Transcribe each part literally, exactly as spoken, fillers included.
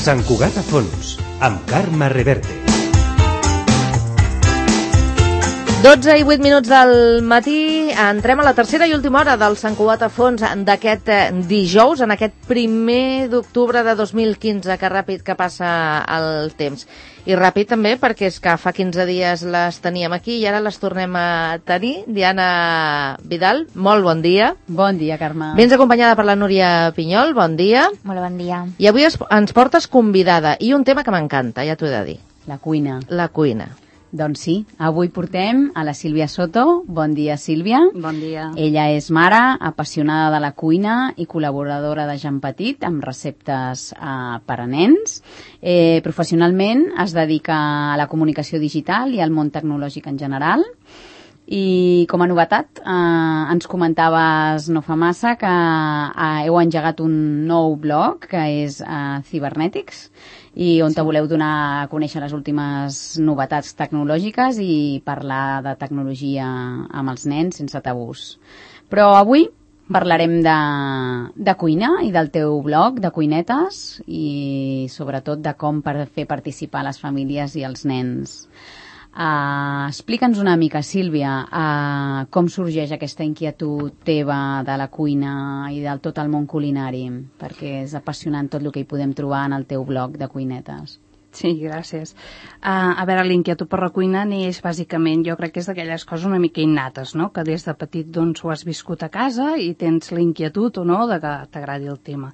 Sant Cugat a fons, amb Carme Reverte. dotze i vuit minuts del matí, entrem a la tercera i última hora del Sant Cugat a fons d'aquest dijous, en aquest primer d'octubre de dos mil quinze, que ràpid que passa el temps. I ràpid també perquè és que fa quinze dies les teníem aquí i ara les tornem a tenir. Diana Vidal, molt bon dia. Bon dia, Carme. Vens acompanyada per la Núria Pinyol, bon dia. Molt bon dia. I avui ens portes convidada i un tema que m'encanta, ja t'ho he de dir. La cuina. La cuina. Doncs sí, avui portem a la Sílvia Soto. Bon dia, Sílvia. Bon dia. Ella és mare, apassionada de la cuina i col·laboradora de Jan Petit amb receptes eh, per a nens. Eh, professionalment es dedica a la comunicació digital i al món tecnològic en general. I com a novetat, eh, ens comentaves no fa massa que eh, heu engegat un nou blog que és eh, Cibernetics, i on te voleu donar a conèixer les últimes novetats tecnològiques i parlar de tecnologia amb els nens sense tabús. Però avui parlarem de, de cuina i del teu blog de cuinetes i sobretot de com per fer participar les famílies i els nens. Uh, explica'ns una mica, Sílvia, uh, com sorgeix aquesta inquietud teva de la cuina i del tot el món culinari, perquè és apassionant tot el que hi podem trobar en el teu blog de cuinetes. Sí, gràcies. Uh, a veure, l'inquietud per la cuina neix bàsicament, jo crec que és d'aquelles coses una mica innates, no? Que des de petit doncs, ho has viscut a casa i tens la inquietud o no de que t'agradi el tema.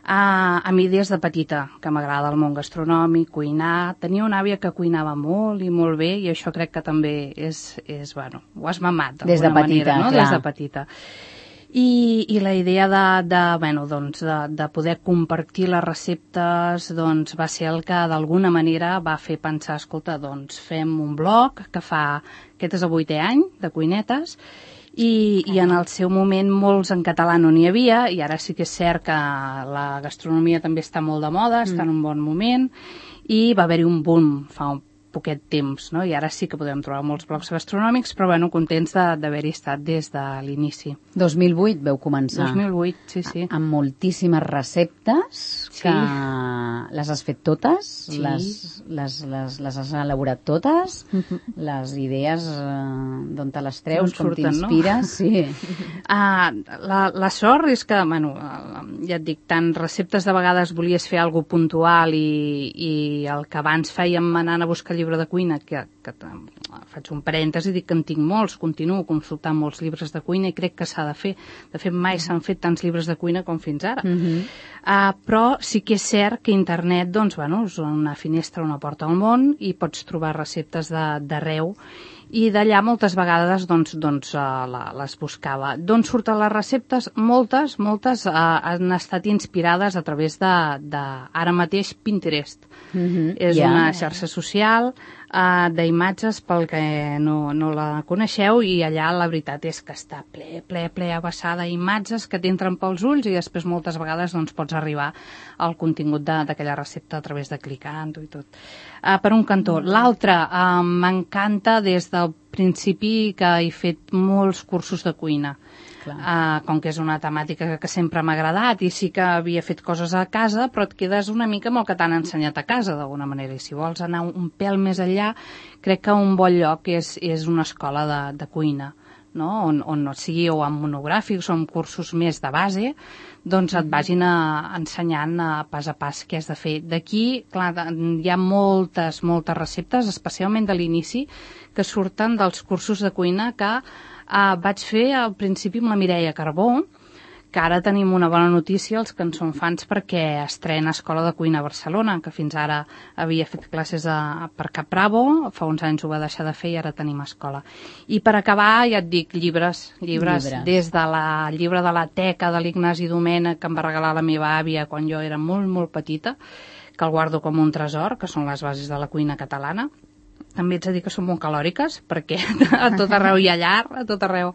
Uh, a mi des de petita, que m'agrada el món gastronòmic, cuinar, tenia una àvia que cuinava molt i molt bé i això crec que també és, és bueno, ho has mamat des de petita, manera, no? Clar. Des de petita. I, i la idea de, de, bueno, doncs de, de poder compartir les receptes doncs, va ser el que d'alguna manera va fer pensar, escolta, doncs fem un blog que fa, aquest és el vuitè any de cuinetes, I, i en el seu moment molts en català no n'hi havia i ara sí que és cert que la gastronomia també està molt de moda, està en un bon moment i va haver-hi un boom fa un poquet temps, no? I ara sí que podem trobar molts blogs gastronòmics, però bueno, contents d'haver-hi estat des de l'inici. dos mil vuit veu començar. dos mil vuit, sí, sí. Amb moltíssimes receptes sí. que les has fet totes, sí. les, les, les, les has elaborat totes, uh-huh. les idees eh, d'on te les treus, com t'inspires. No? Sí. Uh, la, la sort és que, bueno, ja et dic, tant receptes de vegades volies fer alguna puntual i, i el que abans fèiem anant a buscar llibre de cuina, que, que faig un parèntesi, dic que en tinc molts, continuo consultant molts llibres de cuina i crec que s'ha de fer. De fet, mai s'han fet tants llibres de cuina com fins ara. Uh-huh. uh, però sí que és cert que internet doncs, bueno, és una finestra, una porta al món i pots trobar receptes d'arreu i d'allà moltes vegades doncs, doncs, uh, la, les buscava. D'on surten les receptes? Moltes, moltes uh, han estat inspirades a través de, de ara mateix Pinterest. Mm-hmm. És yeah. una xarxa social uh, d'imatges pel que no, no la coneixeu i allà la veritat és que està ple, ple, ple abassada d'imatges que t'entren pels ulls i després moltes vegades doncs, pots arribar al contingut d'aquella recepta a través de clicant-ho i tot. Uh, per un cantó. L'altre, uh, m'encanta des del principi que he fet molts cursos de cuina. Uh, com que és una temàtica que sempre m'ha agradat i sí que havia fet coses a casa, però et quedes una mica amb el que t'han ensenyat a casa, d'alguna manera. I si vols anar un pèl més enllà, crec que un bon lloc és, és una escola de, de cuina, no? on, on no sigui o amb monogràfics o amb cursos més de base, doncs et vagin a, ensenyant a pas a pas què has de fer. D'aquí, clar, hi ha moltes, moltes receptes, especialment de l'inici, que surten dels cursos de cuina que Uh, vaig fer al principi amb la Mireia Carbó, que ara tenim una bona notícia, els que en són fans, perquè estrena Escola de Cuina a Barcelona, que fins ara havia fet classes a, per Cap Bravo, fa uns anys ho va deixar de fer i ara tenim escola. I per acabar, ja et dic, llibres, llibres, llibres. Des de la llibre de la teca de l'Ignasi Domènech, que em va regalar la meva àvia quan jo era molt, molt petita, que el guardo com un tresor, que són les bases de la cuina catalana, també ets a dir que són molt calòriques, perquè a tot arreu hi ha llar, a tot arreu.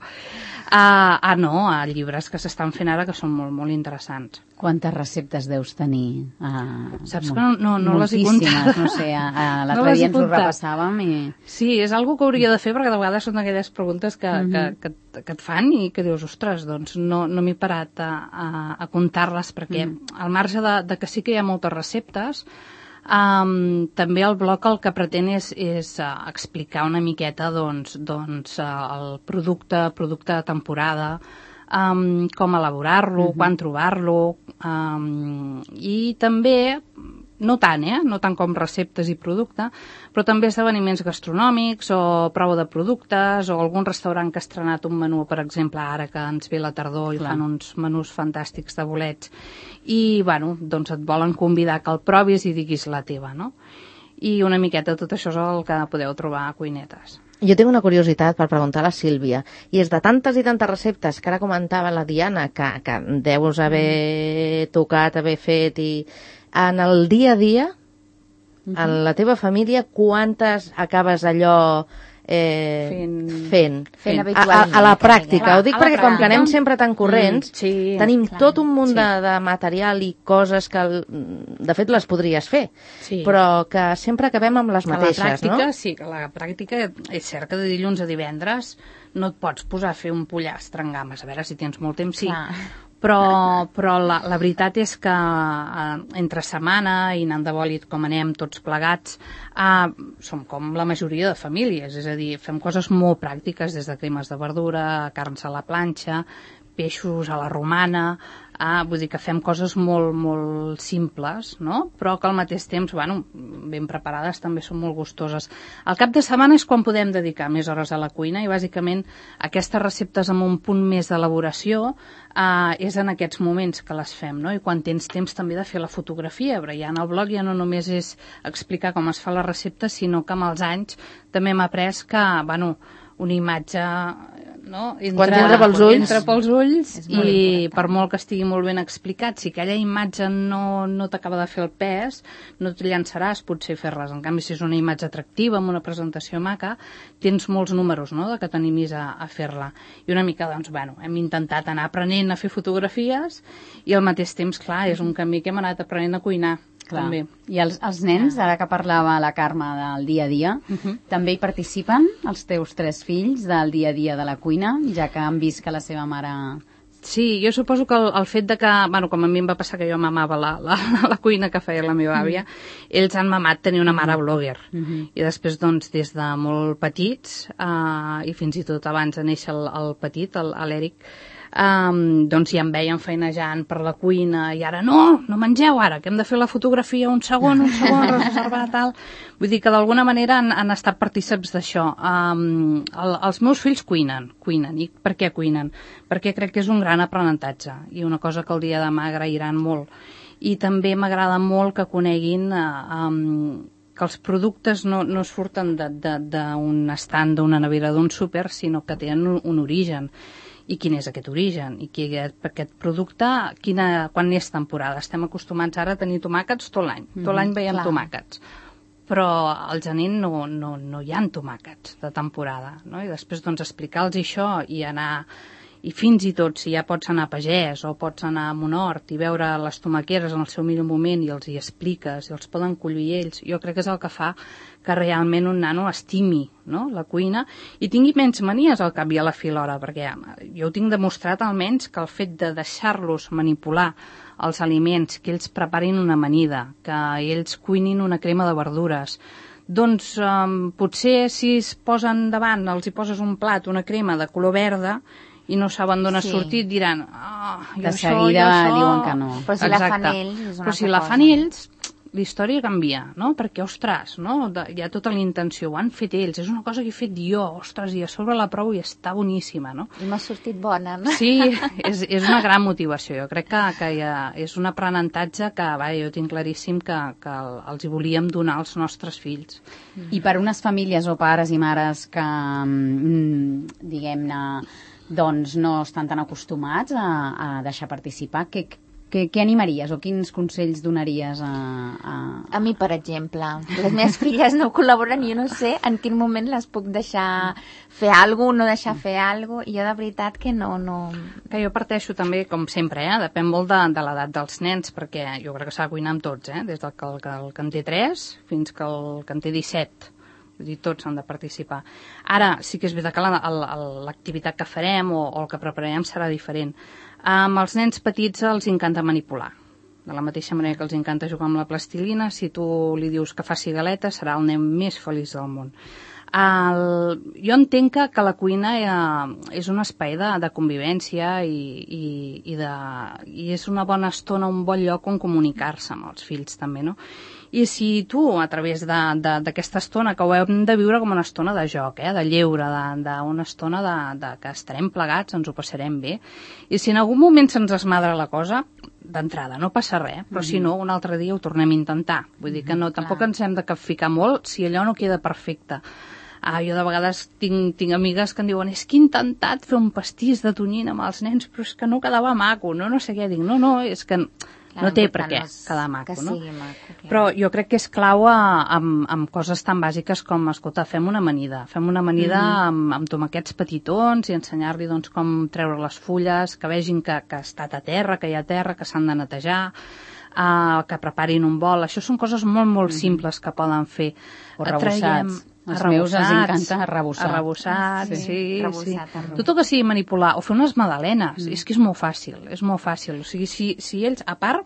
Ah, ah no, a llibres que s'estan fent ara que són molt, molt interessants. Quantes receptes deus tenir? Ah, Saps que no, no, no les he comptat. No sé, a, a l'altre no dia ens ho repassàvem i... Sí, és algo que hauria de fer, perquè de vegades són aquelles preguntes que, uh-huh. que, que, que et fan i que dius, ostres, doncs no, no m'he parat a, a, a comptar-les, perquè uh-huh. al marge de, de que sí que hi ha moltes receptes, Um, també el blog el que pretén és, és uh, explicar una miqueta doncs, doncs, uh, el producte, producte de temporada, um, com elaborar-lo, uh-huh. quan trobar-lo, um, i també, no tant, eh? no tant com receptes i producte, però també esdeveniments gastronòmics o prova de productes o algun restaurant que ha estrenat un menú, per exemple, ara que ens ve la tardor i Clar. fan uns menús fantàstics de bolets. I, bueno, doncs et volen convidar que el provis i diguis la teva, no? I una miqueta tot això és el que podeu trobar a Cuinetes. Jo tinc una curiositat per preguntar a la Sílvia, i és de tantes i tantes receptes que ara comentava la Diana, que, que deus haver tocat, haver fet, i en el dia a dia, uh-huh. en la teva família, quantes acabes allò eh, fent, fent, fent a, a, a la pràctica? Ho dic perquè com que anem sempre tan corrents, mm, sí, tenim clar, tot un munt sí. de, de material i coses que, de fet, les podries fer, sí. però que sempre acabem amb les mateixes, a la pràctica, no? Sí, que a la pràctica és cert que de dilluns a divendres no et pots posar a fer un pollastre en games, a veure si tens molt temps, sí. Clar. Però, però la, la veritat és que eh, entre setmana i anant de bòlit com anem tots plegats, eh, som com la majoria de famílies, és a dir, fem coses molt pràctiques, des de cremes de verdura, carns a la planxa, peixos a la romana, ah, vull dir que fem coses molt, molt simples, no? Però que al mateix temps, bueno, ben preparades, també són molt gustoses. El cap de setmana és quan podem dedicar més hores a la cuina i bàsicament aquestes receptes amb un punt més d'elaboració eh, és en aquests moments que les fem, no? I quan tens temps també de fer la fotografia, perquè ja en el blog ja no només és explicar com es fa la recepta, sinó que amb els anys també hem après que, bueno, una imatge, no? Entra, quan entra pels ulls, entra pels ulls i per molt que estigui molt ben explicat, si aquella imatge no, no t'acaba de fer el pes, no et llançaràs potser a fer-les. En canvi, si és una imatge atractiva, amb una presentació maca, tens molts números, no?, de que t'animis a, a fer-la. I una mica, doncs, bueno, hem intentat anar aprenent a fer fotografies i al mateix temps, clar, és un camí que hem anat aprenent a cuinar. Clar. També. I els, els nens, ara que parlava la Carme del dia a dia, uh-huh. també hi participen els teus tres fills del dia a dia de la cuina, ja que han vist que la seva mare... Sí, jo suposo que el, el fet de que, bueno, com a mi em va passar que jo mamava la, la, la cuina que feia la meva àvia, mm. ells han mamat tenir una mare blogger. Mm-hmm. I després, doncs, des de molt petits, uh, i fins i tot abans de néixer el, el petit, l'Eric, Um, doncs ja em veien feinejant per la cuina i ara no, no mengeu ara, que hem de fer la fotografia un segon, un segon, reservar tal. Vull dir que d'alguna manera han, han estat partíceps d'això. Um, el, els meus fills cuinen, cuinen. I per què cuinen? Perquè crec que és un gran aprenentatge i una cosa que el dia de demà agrairan molt. I també m'agrada molt que coneguin uh, um, que els productes no, no surten d'un estand, d'una nevera, d'un súper, sinó que tenen un, un origen. I quin és aquest origen, i qui, aquest producte, quina, quan és temporada. Estem acostumats ara a tenir tomàquets tot l'any, tot l'any veiem mm, tomàquets. Però al gener no, no, no hi ha tomàquets de temporada, no? I després doncs explicar-los això i anar... I fins i tot, si ja pots anar a Pagès o pots anar a Monort i veure les tomaqueres en el seu millor moment i els hi expliques, i els poden collir ells, jo crec que és el que fa que realment un nano estimi, no?, la cuina i tingui menys manies al cap i a la fi l'hora, perquè jo ho tinc demostrat almenys que el fet de deixar-los manipular els aliments, que ells preparin una amanida, que ells cuinin una crema de verdures, doncs um, potser si es posen davant, els hi poses un plat, una crema de color verda, i no saben d'on ha sí. sortit, diran ah, oh, de seguida això... diuen que no. Però si Exacte. la fan ells és una Però si la fan ells, la història canvia, no? Perquè, ostres, no? Hi ha tota la intenció, ho han fet ells, és una cosa que he fet jo, ostres, i a sobre la provo i està boníssima, no? I m'ha sortit bona, no? Sí, és, és una gran motivació, jo crec que, que ha, és un aprenentatge que, va, jo tinc claríssim que, que els hi volíem donar als nostres fills. I per unes famílies o pares i mares que, diguem-ne, doncs no estan tan acostumats a, a deixar participar, que, què, què animaries o quins consells donaries a, a... A mi, per exemple, les meves filles no col·laboren i jo no sé en quin moment les puc deixar fer alguna cosa, no deixar fer alguna cosa, i jo de veritat que no... no... Que jo parteixo també, com sempre, eh? Depèn molt de, de l'edat dels nens, perquè jo crec que s'ha de cuinar amb tots, eh? Des del que el, el que en té tres fins que el que en té disset. Vull dir, tots han de participar. Ara, sí que és veritat que l'activitat que farem o, o el que prepararem serà diferent. Amb els nens petits els encanta manipular. De la mateixa manera que els encanta jugar amb la plastilina, si tu li dius que faci galetes, serà el nen més feliç del món. El... Jo entenc que, que la cuina eh, és un espai de, de convivència i, i, i, de, i és una bona estona, un bon lloc on comunicar-se amb els fills també, no? I si tu, a través d'aquesta estona, que ho hem de viure com una estona de joc, eh, de lleure, d'una estona de, de que estarem plegats, ens ho passarem bé, i si en algun moment se'ns esmadra la cosa, d'entrada, no passa res, però mm-hmm. si no, un altre dia ho tornem a intentar. Vull dir que no, tampoc ens hem de capficar molt si allò no queda perfecte. Ah, jo de vegades tinc, tinc amigues que em diuen és que he intentat fer un pastís de tonyina amb els nens, però és que no quedava maco, no, no sé què. Dic, no, no, és que clar, no té per què quedar maco, que no? Maco, clar. Però jo crec que és clau amb, amb coses tan bàsiques com, escolta, fem una amanida, fem una amanida mm-hmm. amb, amb tomaquets petitons i ensenyar-li doncs, com treure les fulles, que vegin que, que ha estat a terra, que hi ha terra, que s'han de netejar, uh, que preparin un bol. Això són coses molt, molt mm-hmm. simples que poden fer. O arrebossats. Els meus els encanta arrebossar. Arrebossat, sí. sí, arrebossat, sí. Tot el que sigui manipular, o fer unes magdalenes, mm. és que és molt fàcil, és molt fàcil. O sigui, si, si ells, a part,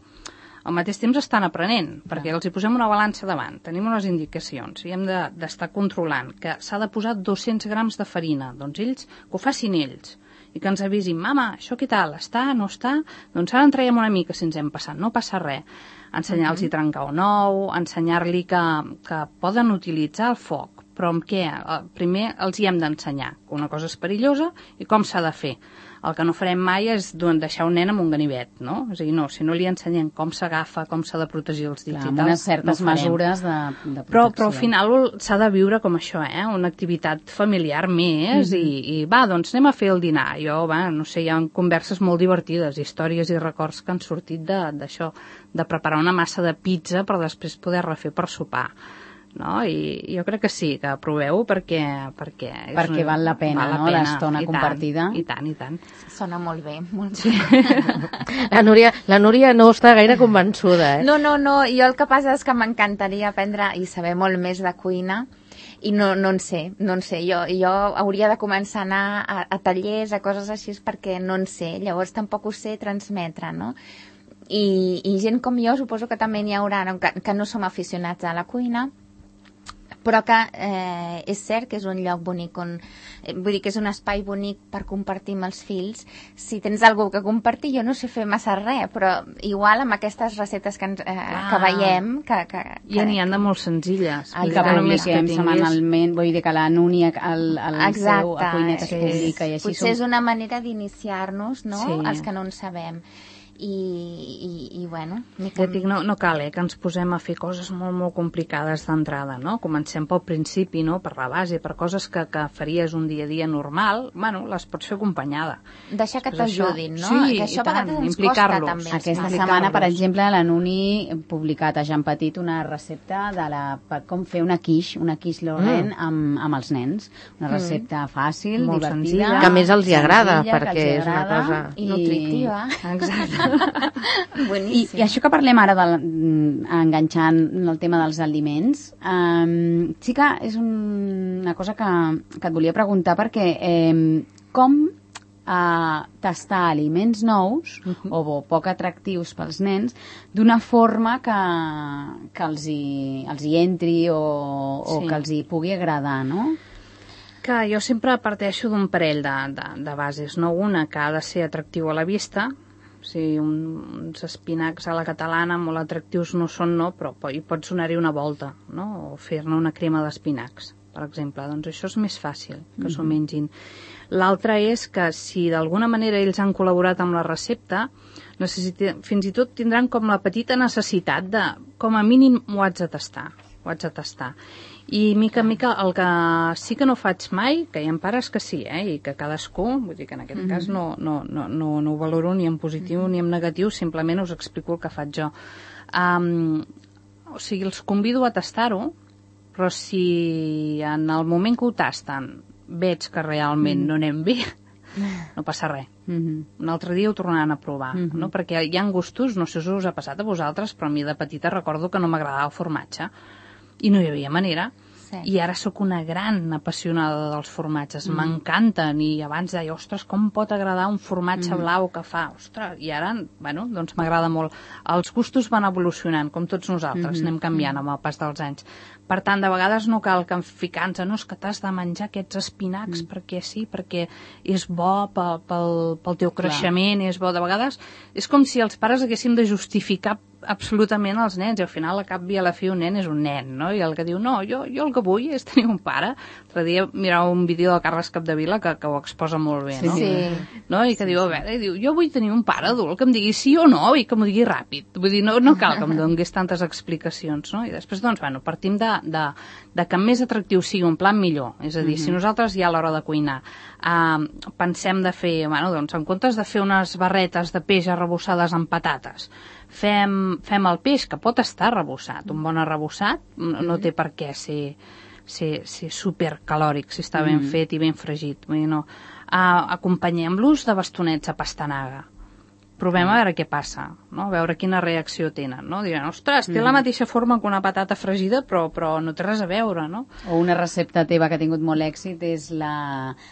al mateix temps estan aprenent, perquè ah. els hi posem una balança davant, tenim unes indicacions, i hem d'estar de, controlant que s'ha de posar dos-cents grams de farina, doncs ells, que ho facin ells, i que ens avisin, mama, això què tal, està, no està? Doncs ara en traiem una mica si ens hem passat, no passa res. Ensenyar-los a trencar un ou, ensenyar-li que, que poden utilitzar el foc, però amb què? Primer els hi hem d'ensenyar que una cosa és perillosa i com s'ha de fer. El que no farem mai és deixar un nen amb un ganivet, no? És a dir, no, si no li ensenyem com s'agafa, com s'ha de protegir els dits Clar, i tal, amb unes certes no mesures de, de protecció. Però, però al final s'ha de viure com això, eh? Una activitat familiar més mm-hmm. i, i va, doncs anem a fer el dinar. Jo, va, no sé, hi ha converses molt divertides, històries i records que han sortit d'això, de, de preparar una massa de pizza per després poder refer per sopar. No? I jo crec que sí, que proveu perquè... Perquè, perquè una, val la pena, val la no? L'estona compartida. I tant, i tant. Sona molt bé, molt sí. bé. La Núria, la Núria no està gaire convençuda, eh? No, no, no, jo el que passa és que m'encantaria aprendre i saber molt més de cuina i no, no en sé, no en sé. Jo, jo hauria de començar a anar a, a tallers, a coses així, perquè no en sé. Llavors tampoc ho sé transmetre, no? I, i gent com jo suposo que també n'hi haurà, no? que, que no som aficionats a la cuina, però que eh, és cert que és un lloc bonic on, eh, vull dir que és un espai bonic per compartir amb els fills. Si tens algú que compartir, jo no sé fer massa res, però igual amb aquestes receptes que, ens, eh, ah. que veiem que, que, que, ja n'hi ha de molt senzilles i que publiquem setmanalment, vull dir que la Núnia al, al seu a Cuinet es publica i així potser som... és una manera d'iniciar-nos, no? Sí. Els que no en sabem. I, i, i bueno... Ja dic, no, no cal, eh, que ens posem a fer coses molt, molt complicades d'entrada, no? Comencem pel principi, no?, per la base, per coses que, que faries un dia a dia normal, bueno, les pots fer acompanyada. Deixar que t'ajudin, no? Sí, que això i tant, ens costa, també. Aquesta setmana, per exemple, la Nuni ha publicat a Jean Petit una recepta de la, per com fer una quiche, una quiche Lorraine mm. amb, amb els nens. Una recepta mm. fàcil, molt divertida. Senzilla. Que a més els hi agrada, senzilla, perquè és una cosa... I nutritiva. Exacte. I, I això que parlem ara, de, enganxant el tema dels aliments, um, sí que és un, una cosa que, que et volia preguntar, perquè um, com uh, tastar aliments nous uh-huh. o poc atractius pels nens d'una forma que, que els, hi, els hi entri o, o sí. que els hi pugui agradar, no? Que jo sempre parteixo d'un parell de, de, de bases, no? Una que ha de ser atractiu a la vista. O sigui, un, uns espinacs a la catalana molt atractius no són, no, però hi pot sonar-hi una volta, no? O fer-ne una crema d'espinacs, per exemple. Doncs això és més fàcil, que mm-hmm. s'ho mengin. L'altre és que si d'alguna manera ells han col·laborat amb la recepta, fins i tot tindran com la petita necessitat de, com a mínim, ho haig de tastar, ho haig de tastar. I mica en mica el que sí que no faig mai, que hi ha pares que sí, eh, i que cadascú, vull dir que en aquest mm-hmm. cas no, no, no, no, no ho valoro ni en positiu mm-hmm. ni en negatiu, simplement us explico el que faig jo. Um, o sigui, els convido a tastar-ho, però si en el moment que ho tasten veig que realment mm-hmm. no anem bé, no passa res. Mm-hmm. Un altre dia ho tornaran a provar, mm-hmm. no? Perquè hi ha gustos, no sé si us ha passat a vosaltres, però a mi de petita recordo que no m'agradava el formatge i no hi havia manera. Sí. I ara sóc una gran apassionada dels formatges, mm. m'encanten, i abans deia, ostres, com pot agradar un formatge mm. blau que fa, ostres, i ara, bueno, doncs m'agrada molt. Els gustos van evolucionant, com tots nosaltres, mm-hmm. anem canviant amb el pas dels anys. Per tant, de vegades no cal que ficar-nos, no, és que t'has de menjar aquests espinacs mm. perquè sí, perquè és bo pel, pel, pel teu creixement, Clar. és bo. De vegades és com si els pares haguéssim de justificar absolutament els nens, i al final, a cap i a la fi, un nen és un nen, no? I el que diu, no, jo, jo el que vull és tenir un pare. L'altre dia mirava un vídeo de Carles Capdevila que, que ho exposa molt bé, no? Sí. No? I que sí, diu, a veure, diu, jo vull tenir un pare adult que em digui sí o no, i que m'ho digui ràpid. Vull dir, no, no cal que em dongués tantes explicacions, no? I després, doncs, bueno, partim de, de, de que més atractiu sigui un plat millor. És a dir, mm-hmm. si nosaltres ja a l'hora de cuinar uh, pensem de fer, bueno, doncs, en comptes de fer unes barretes de peix arrebossades amb patates, Fem, fem el peix, que pot estar arrebossat. Un bon arrebossat no, no té per què ser, ser, ser supercalòric, si està ben mm. fet i ben fregit. Vull dir, no. Uh, acompanyem-los de bastonets a pastanaga. Provem a veure què passa, no? A veure quina reacció tenen, no? Diran, ostres, té mm. la mateixa forma que una patata fregida, però, però no té res a veure, no? O una recepta teva que ha tingut molt èxit és la,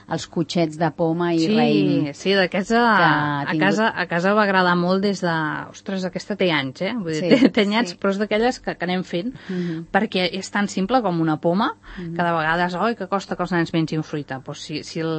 els cotxets de poma i sí, raïm. Sí, d'aquests a, a, tingut... casa, a casa va agradar molt des de... Ostres, aquesta té anys, eh? Vull dir, sí, té anyats, sí. però és d'aquelles que, que anem fent, mm-hmm. perquè és tan simple com una poma, mm-hmm. que de vegades, oi, que costa que els nens mengin fruita. Pues si, si el,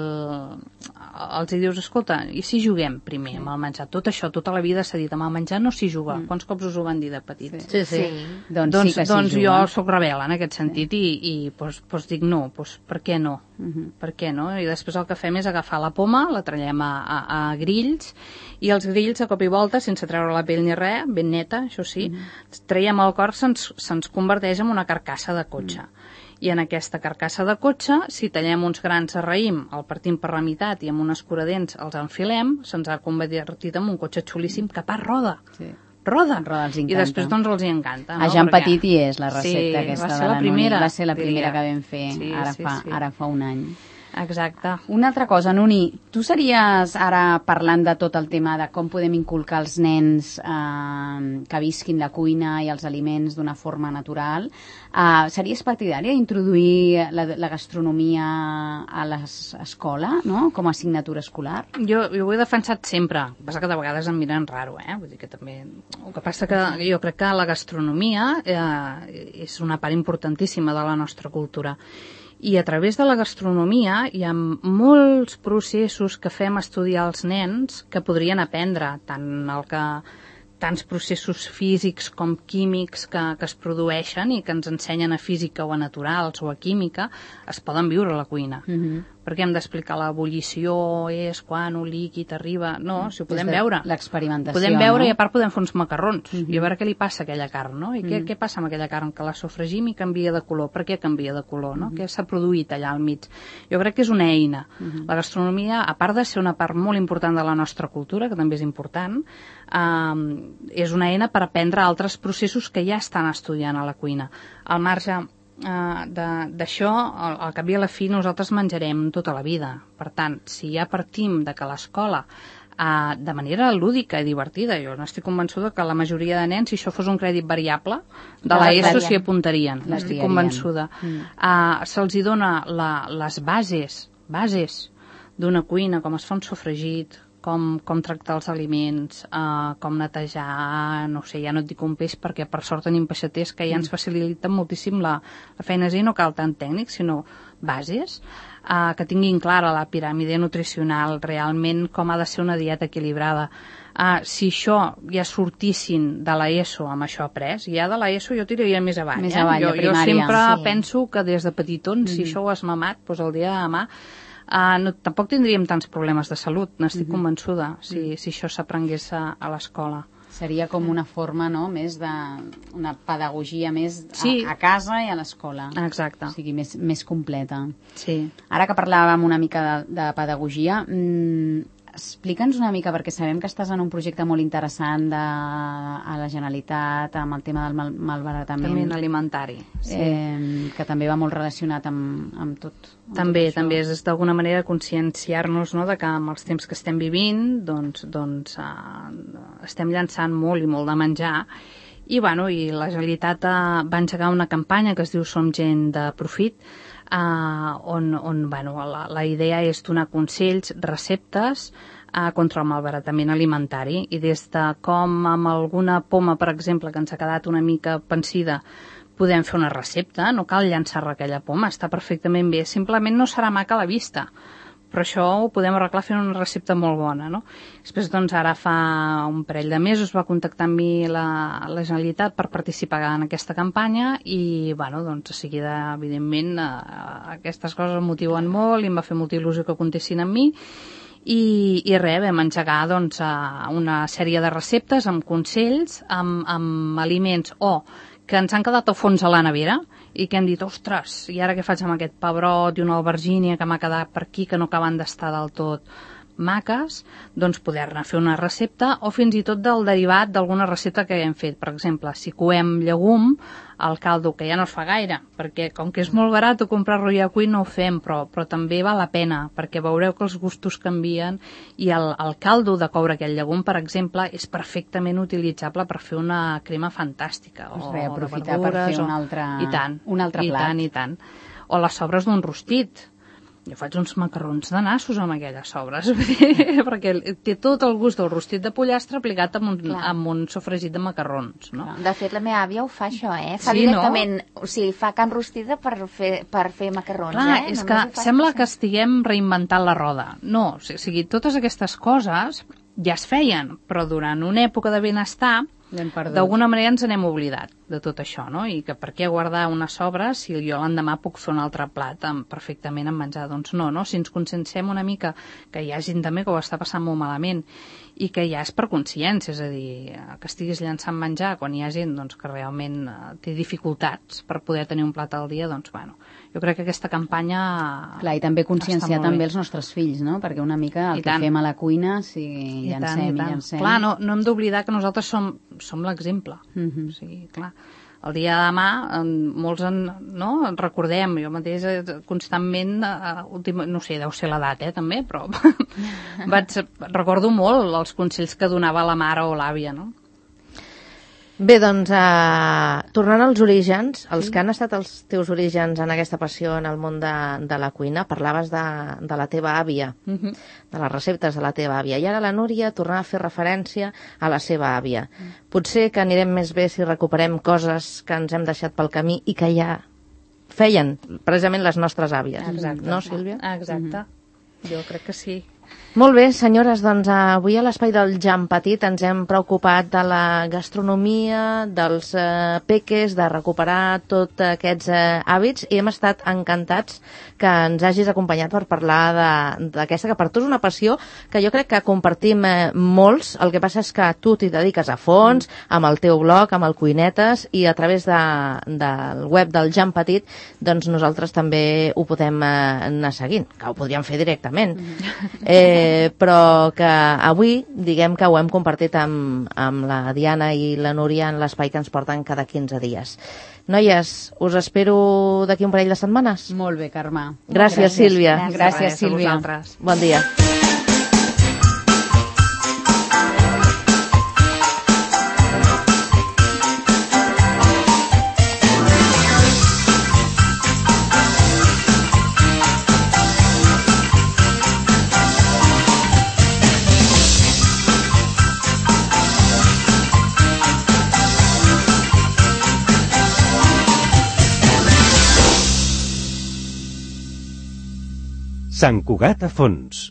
els hi dius, escolta, i si juguem primer sí. amb el menjar? Tot això Això, tota la vida s'ha dit, amb el menjar no s'hi juga. Mm. Quants cops us ho van dir de petits? Sí, sí. sí. Doncs, doncs, sí que doncs jo sóc rebel en aquest sentit sí. i, i pues, pues dic no, pues, per què no? Mm-hmm. Per què no? I després el que fem és agafar la poma, la trallem a, a, a grills, i els grills a cop i volta, sense treure la pell ni res, ben neta, això sí, mm-hmm. traiem el cor, se'ns, se'ns converteix en una carcassa de cotxe. Mm. I en aquesta carcassa de cotxe, si tallem uns grans de raïm, el partim per la meitat i amb un escuradents els enfilem, se'ns ha convertit en un cotxe xulíssim que a part roda. Sí. Roda. roda els I després doncs els hi encanta. No? A Jean Perquè... Petit hi és la recepta sí, aquesta va ser de la, la primera, Nuni. Va ser la primera diria. que vam fer sí, ara, sí, fa, sí. ara fa un any. Exacte. Una altra cosa, Nuni, tu series, ara parlant de tot el tema de com podem inculcar als nens eh, que visquin la cuina i els aliments d'una forma natural, eh, series partidària d'introduir la, la gastronomia a l'escola, no?, com a assignatura escolar? Jo, jo ho he defensat sempre, el que passa que de vegades em miren raro, eh? Vull dir que també... El que passa que jo crec que la gastronomia eh, és una part importantíssima de la nostra cultura. I a través de la gastronomia hi ha molts processos que fem estudiar als nens que podrien aprendre, tant el que tants processos físics com químics que, que es produeixen i que ens ensenyen a física o a naturals o a química, es poden viure a la cuina. Mm-hmm. Perquè hem d'explicar l'ebullició és quan un líquid arriba... No, si ho podem veure. L'experimentació, podem veure, no? I a part podem fer uns macarrons mm-hmm. i a veure què li passa a aquella carn, no? I mm-hmm. què, què passa amb aquella carn? Que la sofregim i canvia de color. Per què canvia de color, no? Mm-hmm. Què s'ha produït allà al mig? Jo crec que és una eina. Mm-hmm. La gastronomia, a part de ser una part molt important de la nostra cultura, que també és important, eh, és una eina per aprendre altres processos que ja estan estudiant a la cuina. Al marge... Uh, d'això, al, al cap i a la fi nosaltres menjarem tota la vida. Per tant, si ja partim de que l'escola uh, de manera lúdica i divertida, jo n'estic convençuda que la majoria de nens, si això fos un crèdit variable de l'ESO, s'hi apuntarien, n'estic convençuda. Mm. Uh, se'ls hi dona la, les bases bases d'una cuina, com es fa un sofregit, com, com tractar els aliments, eh, com netejar, no sé, ja no et dic un peix perquè per sort tenim peixaters que ja ens faciliten moltíssim la, la feina, i no cal tant tècnic, sinó bases, eh, que tinguin clara la piràmide nutricional, realment com ha de ser una dieta equilibrada. Uh, si això ja sortissin de l'ESO amb això après, ja de l'ESO jo tiraria més avall. Més avall, eh? jo, jo sempre sí. penso que des de petitons, mm-hmm. si això ho has mamat, doncs el dia de demà Uh, no, tampoc tindríem tants problemes de salut, n'estic mm-hmm. convençuda, si, mm. si això s'aprengués a, a l'escola. Seria com una forma, no?, més de... una pedagogia més a, Sí. a casa i a l'escola. Exacte. O sigui, més, més completa. Sí. Ara que parlàvem una mica de, de pedagogia, mmm, explica'ns una mica, perquè sabem que estàs en un projecte molt interessant de, a la Generalitat amb el tema del mal, malbaratament També alimentari. sí. eh, que també va molt relacionat amb, amb tot. Amb També, tot també és d'alguna manera conscienciar-nos, no?, de que amb els temps que estem vivint doncs, doncs uh, estem llançant molt i molt de menjar i, bueno, i la Generalitat uh, va engegar una campanya que es diu Som gent de profit, Uh, on, on bueno, la, la idea és donar consells, receptes uh, contra el malbaratament alimentari, i des de com amb alguna poma, per exemple, que ens ha quedat una mica pansida, podem fer una recepta, no cal llançar aquella poma, està perfectament bé, simplement no serà maca a la vista, però això ho podem arreglar fent una recepta molt bona, no? Després, doncs, ara fa un parell de mesos va contactar amb mi la, la Generalitat per participar en aquesta campanya i, bueno, doncs, a seguida, evidentment, eh, aquestes coses em motiven molt i em va fer molta il·lusió que comptessin amb mi i, i res, vam engegar, doncs, una sèrie de receptes amb consells, amb, amb aliments o que ens han quedat al fons a la nevera i que hem dit, ostres, i ara què faig amb aquest pebrot i una albergínia que m'ha quedat per aquí que no acaben d'estar del tot maques, doncs poder-ne fer una recepta o fins i tot del derivat d'alguna recepta que hem fet. Per exemple, si coem llegum, el caldo, que ja no es fa gaire, perquè com que és molt barat comprar-lo ja cuit no ho fem, però, però també val la pena, perquè veureu que els gustos canvien i el, el caldo de coure aquell llegum, per exemple, és perfectament utilitzable per fer una crema fantàstica. Doncs o, res, aprofitar o per fer o... un altre, I tant, un altre i plat. tant, i tant. O les sobres d'un rostit. Jo faig uns macarrons de nassos amb aquelles sobres, perquè té tot el gust del rostit de pollastre aplicat amb un, amb un sofregit de macarrons, no? De fet, la meva àvia ho fa, això, eh? Fa Sí, directament, no? O sigui, fa carn rostida per fer, per fer macarrons, Clar, eh? és Només que ho fa sembla això. que estiguem reinventant la roda. No, o sigui, totes aquestes coses ja es feien, però durant una època de benestar d'alguna manera ens n'hem oblidat de tot això, no? I que per què guardar una sobra si jo l'endemà puc fer un altre plat amb, perfectament amb menjar? Doncs no, no? Si ens conscienciem una mica que hi ha gent també que ho està passant molt malament i que ja és per consciència, és a dir, que estiguis llançant menjar quan hi ha gent doncs, que realment té dificultats per poder tenir un plat al dia, doncs bueno, jo crec que aquesta campanya... Clar, i també conscienciar també els nostres fills, no? Perquè una mica el I que tant. fem a la cuina, si I llancem tant, i, i llancem... Clar, no, no hem d'oblidar que nosaltres som, som l'exemple. Uh-huh. O sigui, clar, el dia de demà en, molts en, no, en recordem, jo mateix constantment, uh, últim, no sé, deu ser l'edat, eh, també, però vaig, recordo molt els consells que donava la mare o l'àvia, no? Bé, doncs, eh, tornant als orígens, els sí. que han estat els teus orígens en aquesta passió en el món de, de la cuina, parlaves de, de la teva àvia, uh-huh. de les receptes de la teva àvia, i ara la Núria tornava a fer referència a la seva àvia. Uh-huh. Potser que anirem més bé si recuperem coses que ens hem deixat pel camí i que ja feien precisament les nostres àvies. Exacte. No, Sílvia? Exacte. Uh-huh. Jo crec que sí. Molt bé, senyores, doncs avui a l'Espai del Jan Petit ens hem preocupat de la gastronomia, dels eh, peques, de recuperar tots aquests eh, hàbits i hem estat encantats que ens hagis acompanyat per parlar d'aquesta, que per tu és una passió que jo crec que compartim eh, molts, el que passa és que tu t'hi dediques a fons, amb el teu blog, amb el Cuinetes, i a través de, del web del Jan Petit, doncs nosaltres també ho podem eh, anar seguint, que ho podríem fer directament. Eh, Eh, però que avui diguem que ho hem compartit amb, amb la Diana i la Núria en l'espai que ens porten cada quinze dies. Noies, us espero d'aquí un parell de setmanes. Molt bé, Carme. Gràcies, Gràcies Sílvia. Gràcies, Gràcies Sílvia. Bon dia. Sant Cugat a fons.